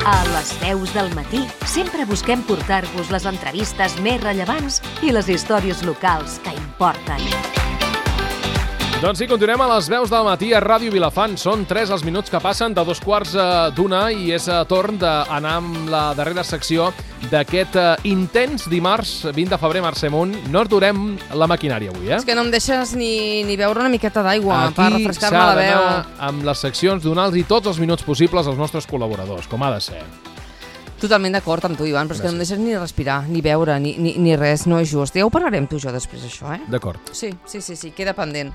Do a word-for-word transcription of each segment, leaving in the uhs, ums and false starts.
A Les Veus del Matí sempre busquem portar-vos les entrevistes més rellevants i les històries locals que importen. Doncs sí, continuem a Les Veus del Matí a Ràdio Vilafant. Són tres els minuts que passen de dos quarts d'una i és torn d'anar amb la darrera secció d'aquest intens dimarts vint de febrer, Mercè Munt. No aturem la maquinària avui, eh? És que no em deixes ni, ni beure una miqueta d'aigua per refrescar-me la veu. Aquí s'ha d'anar amb les seccions, donar-los tots els minuts possibles als nostres col·laboradors, com ha de ser. Totalment d'acord amb tu, Ivan, però és que no em deixes ni respirar, ni beure, ni, ni, ni res, no és just. Ja ho parlarem tu i jo després, això, eh? D'acord. Sí, sí, sí, sí, queda pendent.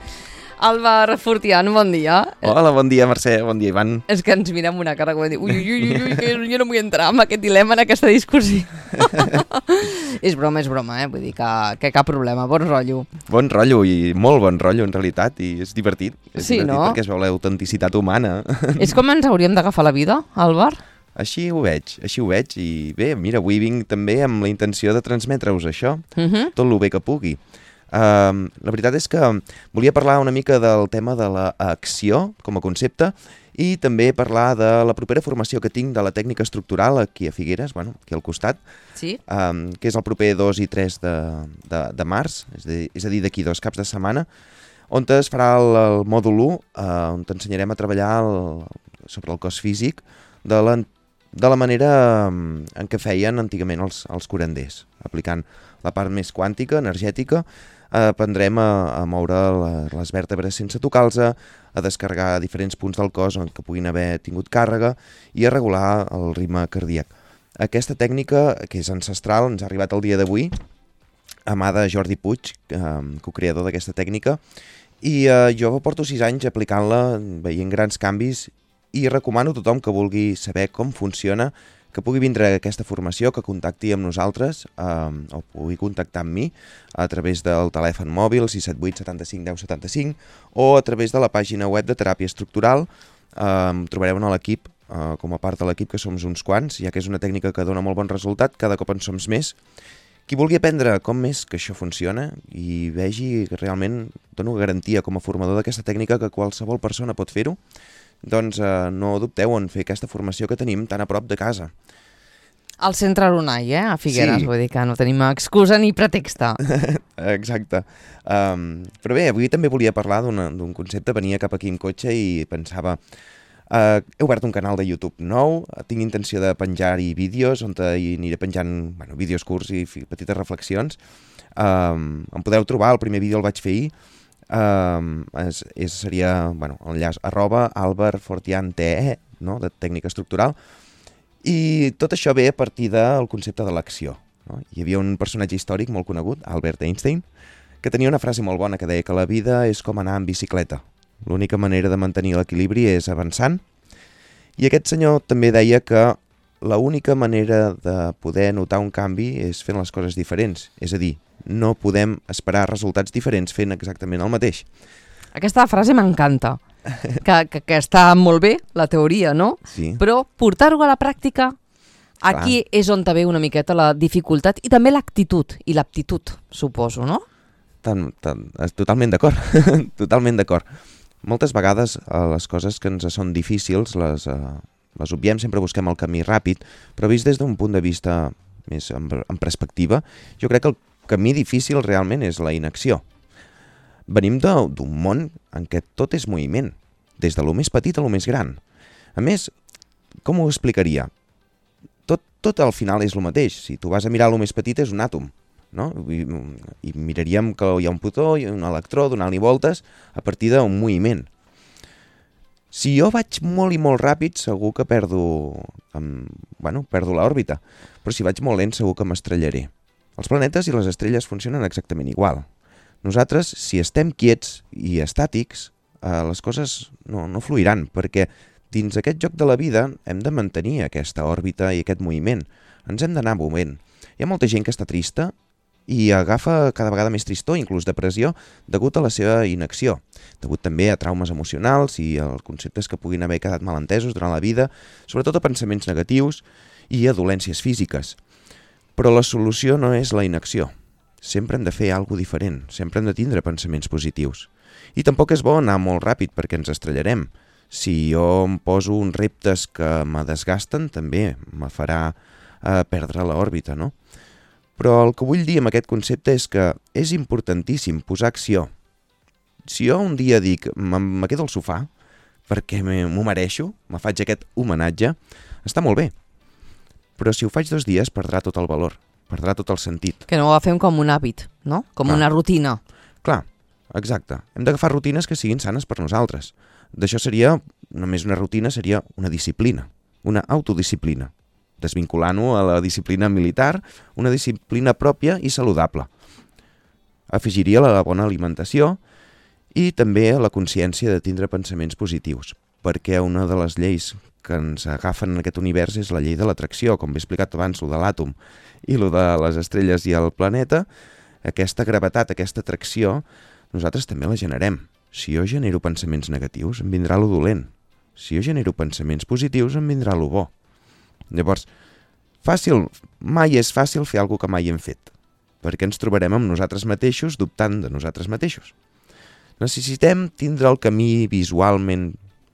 Álvar Fortián, bon dia. Hola, bon dia, Mercè, bon dia, Ivan. És que ens mirem una cara com dir, ui, ui, ui, ui, que jo no vull entrar en aquest dilema, en aquesta discussió. És broma, és broma, eh? Vull dir que, que cap problema, bon rotllo. Bon rotllo, i molt bon rotllo, en realitat, i és divertit. És sí, divertit no? Perquè es veu l'autenticitat humana. És com ens hauríem d'agafar la vida, Álvar? Així ho veig, així ho veig, i bé, mira, avui vinc també amb la intenció de transmetre-us això, Uh-huh. tot el bé que pugui. Uh, la veritat és que volia parlar una mica del tema de l'acció com a concepte i també parlar de la propera formació que tinc de la tècnica estructural aquí a Figueres, bueno, aquí al costat, Sí? um, que és el proper dos i tres de, de, de març, és, de, és a dir, d'aquí dos caps de setmana, on es farà el, el mòdul u, uh, on t'ensenyarem a treballar el, sobre el cos físic de la, de la manera um, en què feien antigament els, els curanders, aplicant la part més quàntica, energètica. Aprendrem a, a moure la, les vèrtebres sense tocar-los, a descarregar diferents punts del cos on que puguin haver tingut càrrega i a regular el ritme cardíac. Aquesta tècnica, que és ancestral, ens ha arribat el dia d'avui, a mà de Jordi Puig, eh, co-creador d'aquesta tècnica, i eh, jo porto sis anys aplicant-la, veient grans canvis, i recomano a tothom que vulgui saber com funciona, que pugui vindre a aquesta formació, que contacti amb nosaltres, eh, o pugui contactar amb mi a través del telèfon mòbil sis set vuit setanta-cinc deu setanta-cinc o a través de la pàgina web de Teràpia Estructural. Eh, trobareu en l'equip, eh, com a part de l'equip, que som uns quants, ja que és una tècnica que dona molt bon resultat, cada cop en som més. Qui vulgui aprendre com més que això funciona i vegi que realment dono garantia com a formador d'aquesta tècnica que qualsevol persona pot fer-ho, doncs eh, no dubteu en fer aquesta formació que tenim tan a prop de casa. Al centre Aronai, eh? A Figueres, Sí. vull dir que no tenim excusa ni pretexte. Exacte. Um, però bé, avui també volia parlar d'un concepte. Venia cap aquí en cotxe i pensava... Uh, he obert un canal de YouTube nou, tinc intenció de penjar-hi vídeos, on hi aniré penjant bueno, vídeos curts i petites reflexions. Um, em podeu trobar, el primer vídeo el vaig fer ahir. Um, és, és, seria bueno, enllaç arroba Álvar Fortián T E, no? De tècnica estructural. I tot això ve a partir del concepte de l'acció. No? Hi havia un personatge històric molt conegut, Albert Einstein, que tenia una frase molt bona que deia que la vida és com anar en bicicleta. L'única manera de mantenir l'equilibri és avançant. I aquest senyor també deia que l'única manera de poder notar un canvi és fent les coses diferents. És a dir, no podem esperar resultats diferents fent exactament el mateix. Aquesta frase m'encanta, que, que, que està molt bé, la teoria, no? Sí. Però portar-ho a la pràctica, aquí Clar. és on te ve una miqueta la dificultat i també l'actitud i l'aptitud, suposo, no? Tan, tan, totalment d'acord, totalment d'acord. Moltes vegades eh, les coses que ens són difícils les, eh, les obviem, sempre busquem el camí ràpid, però vist des d'un punt de vista més en, en perspectiva, jo crec que el camí difícil realment és la inacció. Venim d'un món en què tot és moviment, des de lo més petit a lo més gran. A més, com ho explicaria? Tot, tot al final és lo mateix. Si tu vas a mirar lo més petit és un àtom, no? I, i miraríem que hi ha un protó i un electró donant-li voltes a partir d'un moviment. Si jo vaig molt i molt ràpid, segur que perdo, um, bueno, perdo l'òrbita, però si vaig molt lent segur que m'estrellaré. Els planetes i les estrelles funcionen exactament igual. Nosaltres, si estem quiets i estàtics, eh, les coses no, no fluiran, perquè dins aquest joc de la vida hem de mantenir aquesta òrbita i aquest moviment. Ens hem d'anar movent. Hi ha molta gent que està trista i agafa cada vegada més tristor, inclús depressió, degut a la seva inacció, degut també a traumes emocionals i als conceptes que puguin haver quedat malentesos durant la vida, sobretot a pensaments negatius i a dolències físiques. Però la solució no és la inacció. Sempre hem de fer alguna cosa diferent, sempre hem de tindre pensaments positius. I tampoc és bo anar molt ràpid perquè ens estrellarem. Si jo em poso uns reptes que me desgasten, també me farà eh, perdre l'òrbita, no? Però el que vull dir amb aquest concepte és que és importantíssim posar acció. Si jo un dia dic, me quedo al sofà, perquè m'ho mereixo, me faig aquest homenatge, està molt bé. Però si ho faig dos dies, perdrà tot el valor, perdrà tot el sentit. Que no ho agafem com un hàbit, no? Com Clar. una rutina. Clar, exacte. Hem d'agafar rutines que siguin sanes per nosaltres. D'això seria, només una rutina, seria una disciplina, una autodisciplina, desvinculant-ho a la disciplina militar, una disciplina pròpia i saludable. Afegiria la bona alimentació i també la consciència de tindre pensaments positius, perquè una de les lleis que ens agafen en aquest univers és la llei de l'atracció, com he explicat abans, lo de l'àtom i lo de les estrelles i el planeta. Aquesta gravetat, aquesta atracció, nosaltres també la generem. Si jo genero pensaments negatius, em vindrà lo dolent. Si jo genero pensaments positius, em vindrà lo bo. Llavors, fàcil, mai és fàcil fer alguna que mai hem fet, perquè ens trobarem amb nosaltres mateixos dubtant de nosaltres mateixos. Necessitem tindre el camí visualment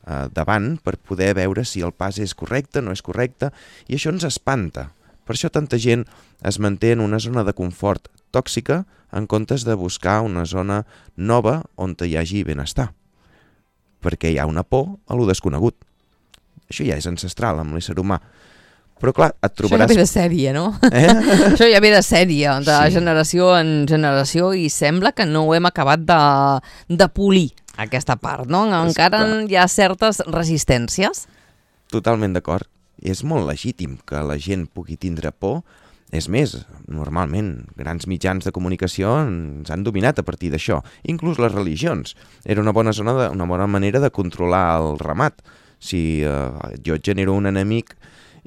eh, davant per poder veure si el pas és correcte, no és correcte, i això ens espanta. Per això tanta gent es manté en una zona de confort tòxica en comptes de buscar una zona nova on hi hagi benestar. Perquè hi ha una por a lo desconegut. Això ja és ancestral amb l'ésser humà. Però clar, et trobaràs... Això ja ve de sèrie, no? Eh? Això ja ve de sèrie, de Sí. generació en generació, i sembla que no ho hem acabat de, de polir, aquesta part, no? Encara clar. hi ha certes resistències. Totalment d'acord. És molt legítim que la gent pugui tindre por. És més, normalment, grans mitjans de comunicació ens han dominat a partir d'això. Inclús les religions. Era una bona zona, de, una bona manera de controlar el ramat. Si eh, jo et genero un enemic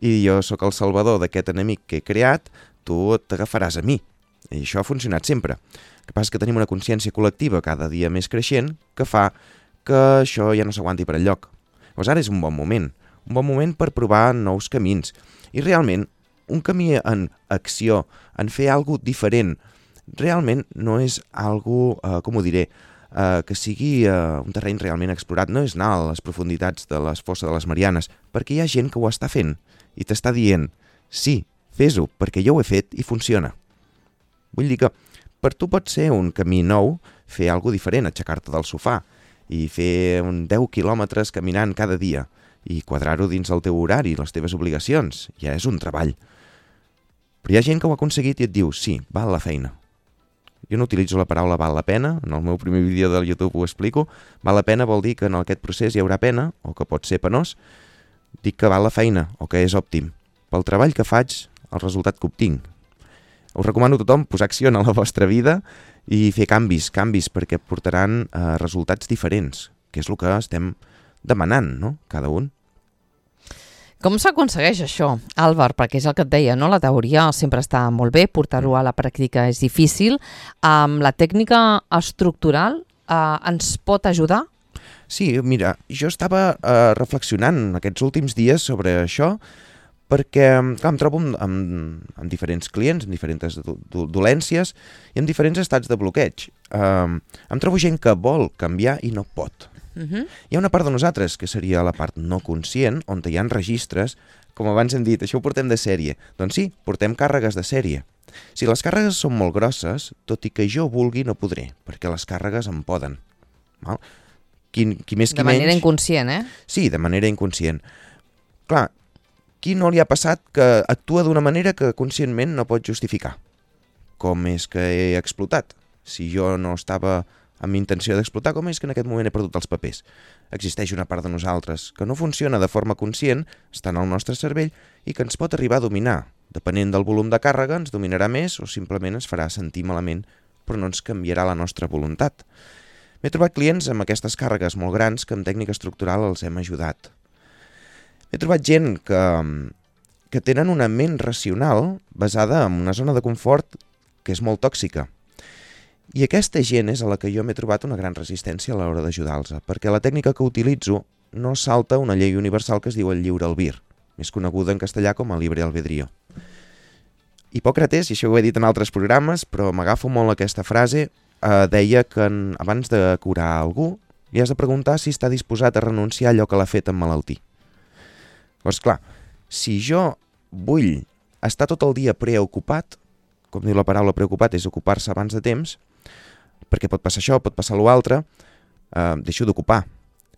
i jo sóc el salvador d'aquest enemic que he creat, tu t'agafaràs a mi. I això ha funcionat sempre. El que passa és que tenim una consciència col·lectiva cada dia més creixent que fa que això ja no s'aguanti per enlloc. Llavors ara és un bon moment. Un bon moment per provar nous camins. I realment, un camí en acció, en fer alguna cosa diferent, realment no és algo, eh, com ho diré, eh, que sigui eh, un terreny realment explorat. No és anar a les profunditats de les fosses de les Marianes, perquè hi ha gent que ho està fent i t'està dient, sí, fes-ho, perquè jo ho he fet i funciona. Vull dir que per tu pot ser un camí nou fer alguna cosa diferent, aixecar-te del sofà i fer un deu quilòmetres caminant cada dia i quadrar-ho dins el teu horari i les teves obligacions. Ja és un treball. Però hi ha gent que ho ha aconseguit i et diu, sí, val la feina. Jo no utilitzo la paraula val la pena, en el meu primer vídeo del YouTube ho explico. Val la pena vol dir que en aquest procés hi haurà pena, o que pot ser penós. Dic que val la feina, o que és òptim. Pel treball que faig, el resultat que obtinc. Us recomano a tothom posar acció en la vostra vida i fer canvis, canvis, perquè portaran eh, resultats diferents, que és el que estem demanant, no?, cada un. Com s'aconsegueix això, Àlvar? Perquè és el que et deia, no? La teoria sempre està molt bé, portar-ho a la pràctica és difícil. Um, la tècnica estructural uh, ens pot ajudar? Sí, mira, jo estava eh, reflexionant aquests últims dies sobre això perquè clar, em trobo amb, amb, amb diferents clients, amb diferents do, do, dolències i amb diferents estats de bloqueig. Um, em trobo gent que vol canviar i no pot. Uh-huh. Hi ha una part de nosaltres, que seria la part no conscient, on hi ha registres, com abans hem dit, això ho portem de sèrie. Doncs sí, portem càrregues de sèrie. Si les càrregues són molt grosses, tot i que jo vulgui no podré, perquè les càrregues em poden. Val? Qui, qui més, qui de manera menys... inconscient, eh? Sí, de manera inconscient. Clar, qui no li ha passat que actua d'una manera que conscientment no pot justificar? Com és que he explotat? Si jo no estava amb intenció d'explotar, com és que en aquest moment he perdut els papers? Existeix una part de nosaltres que no funciona de forma conscient, està en el nostre cervell i que ens pot arribar a dominar. Depenent del volum de càrrega, ens dominarà més o simplement ens farà sentir malament, però no ens canviarà la nostra voluntat. M'he trobat clients amb aquestes càrregues molt grans que amb tècnica estructural els hem ajudat. He trobat gent que, que tenen una ment racional basada en una zona de confort que és molt tòxica. I aquesta gent és a la que jo m'he trobat una gran resistència a l'hora d'ajudar-los, perquè la tècnica que utilitzo no salta una llei universal que es diu el lliure albir, més coneguda en castellà com a libre albedrío. Hipòcrates, i això ho he dit en altres programes, però m'agafo molt aquesta frase, eh, deia que en, abans de curar algú, li has de preguntar si està disposat a renunciar a allò que l'ha fet emmalaltir. Llavors, clar, si jo vull estar tot el dia preocupat, com diu la paraula preocupat, és ocupar-se abans de temps, perquè pot passar això, pot passar l'altre, eh, deixo d'ocupar.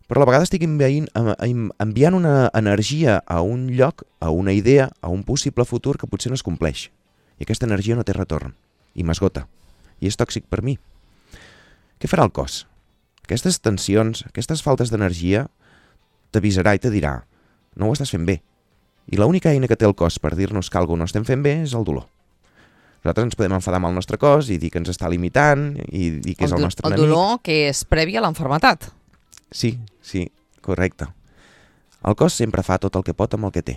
Però a la vegada estic enviant, enviant una energia a un lloc, a una idea, a un possible futur que potser no es compleix. I aquesta energia no té retorn, i m'esgota, i és tòxic per mi. Què farà el cos? Aquestes tensions, aquestes faltes d'energia, t'avisarà i te dirà, no ho estàs fent bé. I l'única eina que té el cos per dir-nos que alguna no estem fent bé és el dolor. Nosaltres ens podem enfadar amb el nostre cos i dir que ens està limitant i dir que és el nostre enemic. El dolor que és previ a l'enfermetat. Sí, sí, correcte. El cos sempre fa tot el que pot amb el que té.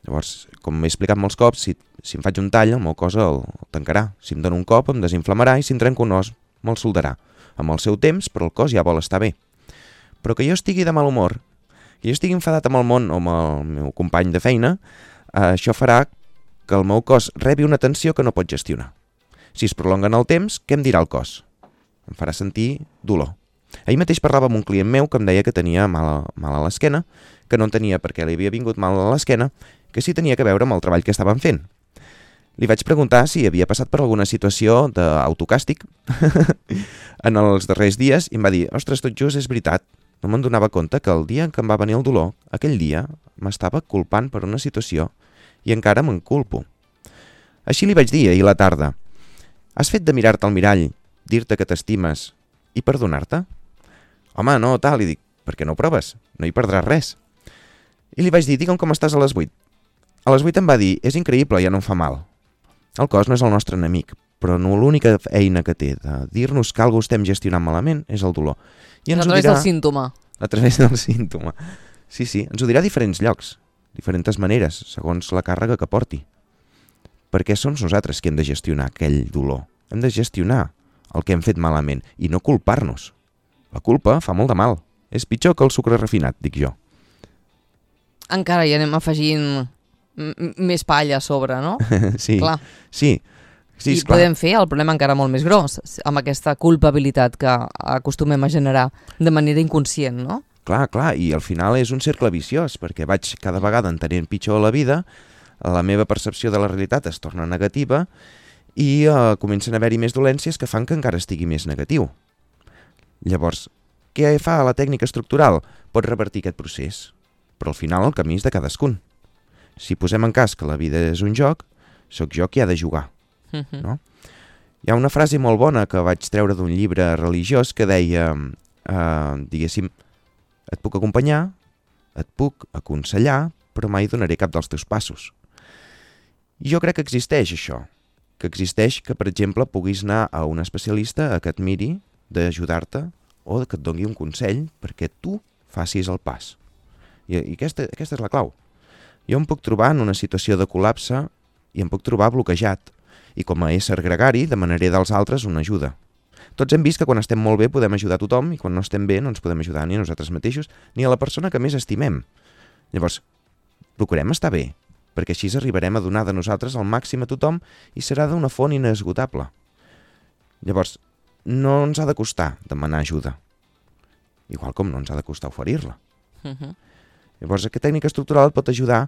Llavors, com m'he explicat molts cops, si, si em faig un tall, el meu cos el, el tancarà. Si em dono un cop, em desinflamarà i si em trenco un os, me'l soldarà. Amb el seu temps, però el cos ja vol estar bé. Però que jo estigui de mal humor, que jo estigui enfadat amb el món o amb el meu company de feina, eh, això farà que el meu cos rebi una tensió que no pot gestionar. Si es prolonga en el temps, què em dirà el cos? Em farà sentir dolor. Ahir mateix parlava amb un client meu que em deia que tenia mal a, mal a l'esquena, que no en tenia perquè li havia vingut mal a l'esquena, que sí tenia que veure amb el treball que estaven fent. Li vaig preguntar si havia passat per alguna situació d'autocàstig en els darrers dies i em va dir, ostres, tot just és veritat, no me'n donava compte que el dia en què em va venir el dolor, aquell dia m'estava culpant per una situació i encara me'n culpo. Així li vaig dir ahir a la tarda, has fet de mirar-te al mirall, dir-te que t'estimes i perdonar-te? Home, no, tal, li dic, per què no ho proves? No hi perdràs res. I li vaig dir, digue'm com estàs a les vuit. A les vuit em va dir, és increïble, ja no em fa mal. El cos no és el nostre enemic, però no l'única eina que té de dir-nos que alguna estem gestionant malament és el dolor. I ens a través dirà... del símptoma. A través del símptoma. Sí, sí, ens ho dirà a diferents llocs, diferents maneres, segons la càrrega que porti. Perquè som nosaltres qui hem de gestionar aquell dolor. Hem de gestionar el que hem fet malament i no culpar-nos. La culpa fa molt de mal. És pitjor que el sucre refinat, dic jo. Encara hi anem afegint més palla a sobre, no? Sí, clar. sí. Sí, I podem fer el problema encara molt més gros, amb aquesta culpabilitat que acostumem a generar de manera inconscient, no? Clar, clar, i al final és un cercle viciós, perquè vaig cada vegada entenent pitjor la vida, la meva percepció de la realitat es torna negativa i eh, comencen a haver-hi més dolències que fan que encara estigui més negatiu. Llavors, què fa la tècnica estructural? Pot revertir aquest procés, però al final el camí és de cadascun. Si posem en cas que la vida és un joc, sóc jo qui ha de jugar. Uh-huh. No? Hi ha una frase molt bona que vaig treure d'un llibre religiós que deia, eh, diguéssim, et puc acompanyar, et puc aconsellar, però mai donaré cap dels teus passos. I jo crec que existeix això, que existeix que, per exemple, puguis anar a un especialista a que et miri d'ajudar-te o que et doni un consell perquè tu facis el pas. I, i aquesta, aquesta és la clau. Jo em puc trobar en una situació de col·lapse i em puc trobar bloquejat. I com a ésser gregari demanaré dels altres una ajuda. Tots hem vist que quan estem molt bé podem ajudar a tothom i quan no estem bé no ens podem ajudar ni a nosaltres mateixos ni a la persona que més estimem. Llavors, procurem estar bé, perquè així arribarem a donar de nosaltres el màxim a tothom i serà d'una font inesgotable. Llavors, no ens ha de costar demanar ajuda, igual com no ens ha de costar oferir-la. Uh-huh. Llavors, aquesta tècnica estructural et pot ajudar.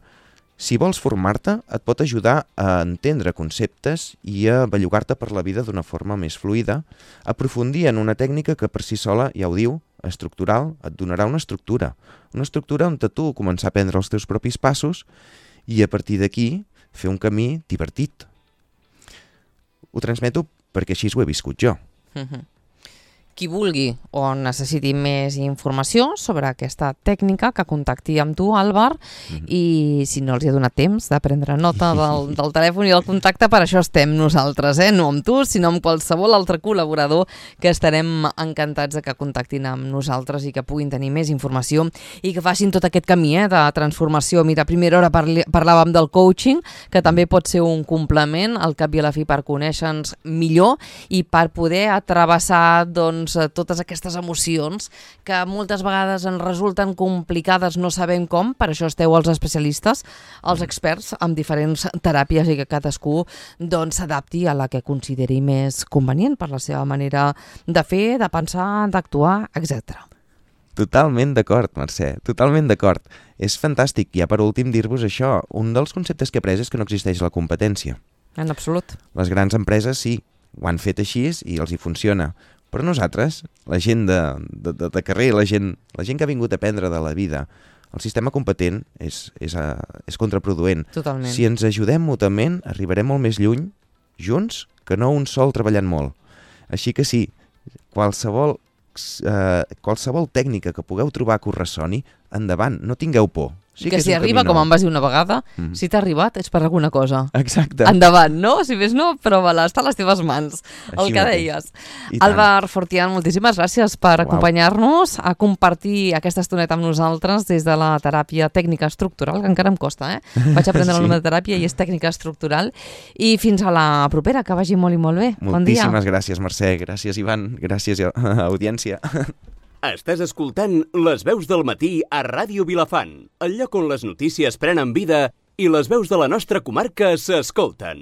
Si vols formar-te, et pot ajudar a entendre conceptes i a bellugar-te per la vida d'una forma més fluida, aprofundir en una tècnica que per si sola, ja ho diu, estructural, et donarà una estructura. Una estructura on tu començar a prendre els teus propis passos i a partir d'aquí fer un camí divertit. Ho transmeto perquè així ho he viscut jo. Uh-huh. Qui vulgui o necessiti més informació sobre aquesta tècnica, que contacti amb tu, Àlvar, mm-hmm. i si no els hi ha donat temps de prendre nota del, del telèfon i del contacte, per això estem nosaltres, eh? No amb tu, sinó amb qualsevol altre col·laborador que estarem encantats de que contactin amb nosaltres i que puguin tenir més informació i que facin tot aquest camí eh, de transformació. Mira, a primera hora parli, parlàvem del coaching, que també pot ser un complement al cap i a la fi per conèixer-nos millor i per poder atravessar, doncs, totes aquestes emocions que moltes vegades ens resulten complicades, no sabem com, per això esteu els especialistes, els experts amb diferents teràpies i que cadascú doncs s'adapti a la que consideri més convenient per la seva manera de fer, de pensar, d'actuar, etcètera. Totalment d'acord, Mercè, totalment d'acord. És fantàstic. I ja per últim dir-vos això, un dels conceptes que he après és que no existeix la competència. En absolut. Les grans empreses sí, ho han fet així i els hi funciona. Però nosaltres, la gent de, de, de, de carrer, la gent, la gent que ha vingut a aprendre de la vida, el sistema competent és, és, uh, és contraproduent. Totalment. Si ens ajudem mútuament, arribarem molt més lluny, junts, que no un sol treballant molt. Així que sí, qualsevol, uh, qualsevol tècnica que pugueu trobar que us ressoni, endavant, no tingueu por. Sí que, que si arriba, com em vas dir una vegada, mm. si t'ha arribat és per alguna cosa. Exacte. Endavant, no? Si més no, prova-la, està a les teves mans, Així el que mateix. deies. I Álvar Fortián, moltíssimes gràcies per Uau. acompanyar-nos, a compartir aquesta estoneta amb nosaltres des de la teràpia tècnica estructural, que encara em costa, eh? Vaig aprendre sí. el nom de teràpia i és tècnica estructural. I fins a la propera, que vagi molt i molt bé. Bon dia. Moltíssimes gràcies, Mercè. Gràcies, Ivan. Gràcies, audiència. Estàs escoltant Les veus del matí a Ràdio Vilafant, el lloc on les notícies prenen vida i les veus de la nostra comarca s'escolten.